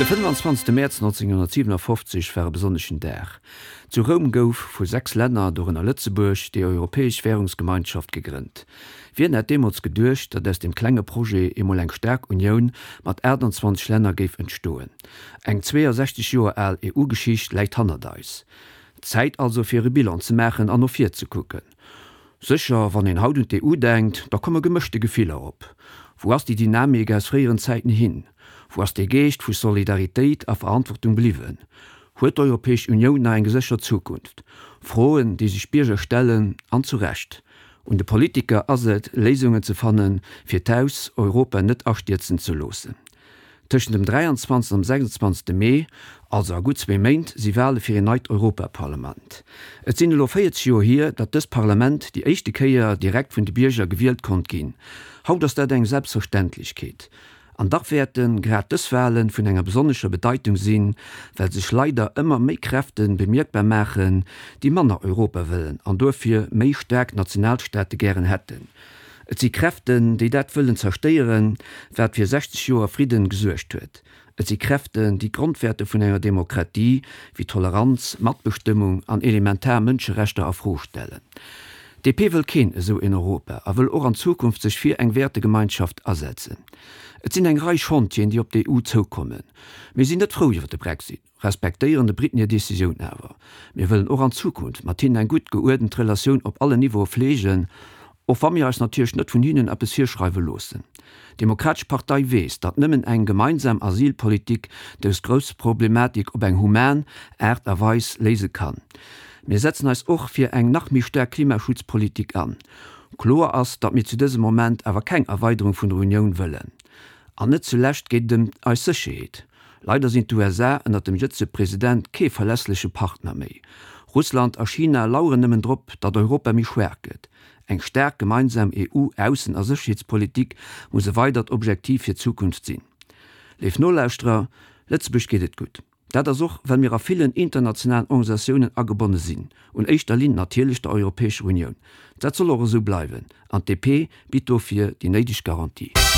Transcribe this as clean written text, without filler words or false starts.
De 25 Mäerz 1957 war e besonneschen Dag. Zu Roum gouf vu 6 Länner, dorënner Lëtzebuerg, déi Europäesch Wärungsgemeinschaft gegrënnt. Wien hätt deemools geduecht, datt aus deem klenge Projet eemol eng staark Unioun mat 28 Länner géif entstoen? Eng 62 Joer al EU-Geschicht läit hannert eis. Zäit also fir e Bilan ze maachen an no vir ze kucken. Sécher, wann een haut un d'EU denkt, da komme gemëschte Gefiller op. Wou ass déi Dynamik aus fréieren Zäiten hin? Wou ass dee Geescht vu Solidaritéit a Verantwortung bliwwen? Huet d'Europäesch Unioun nach eng geséchert Zukunft? Froen, déi sech d'Bierger stellen, an zu Recht. Un de Politiker ass et, Léisungen ze fannen, fir d'Haus Europa net astierzen ze loossen. Tëschent dem 23 an dem 26 Mee, also a gutt zwee Méint, si Wale fir een neit Europaparlament. Et sinn elo 40 Joer hier, datt dëst Parlament déi éischte Kéier direkt vun de Bierger gewielt konnt ginn. Haut ass dat eng Selbstverständlechkeet. An dach wäerte grad dës Wale vun enger besonnescher Bedeitung sinn, well sech leider ëmmer méi Kräfte bemierkbar maachen, déi manner Europa wëllen an duerfir méi staark Nationalstaate gären hätten. Et si Kräften, déi dat wëllen zerstéieren, wat fir 60 Joer Fridden gesuergt huet. Et si Kräften, déi d'Grondwäerter vun enger Demokratie, wéi Toleranz, Matbestëmmung an elementar Mënscherechter a Fro stellen. DP wëll keen esou een Europa a wëll och an Zukunft sech fir eng Wäertegemeinschaft asetzen. Et sinn eng Rei Chantieren, déi op d'EU zoukommen. Mir sinn net frou iwwer de Brexit. Respektéieren de Briten hir Decisioun awer. Mir wëllen och an Zukunft mat hinnen eng gutt geuerdent Relatioun op allen Niveaue fleegen, och wa mir eis natierlech net vun hinnen eppes virschreiwe loossen. D'Demokratesch Partei weess, datt nëmmen eng gemeinsam Asylpolitik dës grouss Problematik op eng human Aart a Weis léise kann. Mir setzen eis och fir eng nach méi staark Klimaschutzpolitik an. Kloer ass, datt mir zu dësem Moment awer keng Erweiderung vun der Unioun wëllen. An net zulescht geet et ëm eis Sécherheet. Leider sinn d'USA ënnert dem jëtzege President kee verlässleche Partner méi. Russland a China laueren nëmmen drop, datt Europa méi schwaach gëtt. Eng staark gemeinsam EU-Aussen a Sécherheetspolitik muss e weidert Objektiv fir d'Zukunft sinn. Léif Nolauschterer, Lëtzebuerg geet et gutt. Dat ass och, well mir a villen internationalen Organisatiounen agebonne sinn, un éischter Linn natierlech der Europäescher Unioun. Dat soll och esou bleiwen an d'DP bitt dofir déi néideg Garantie.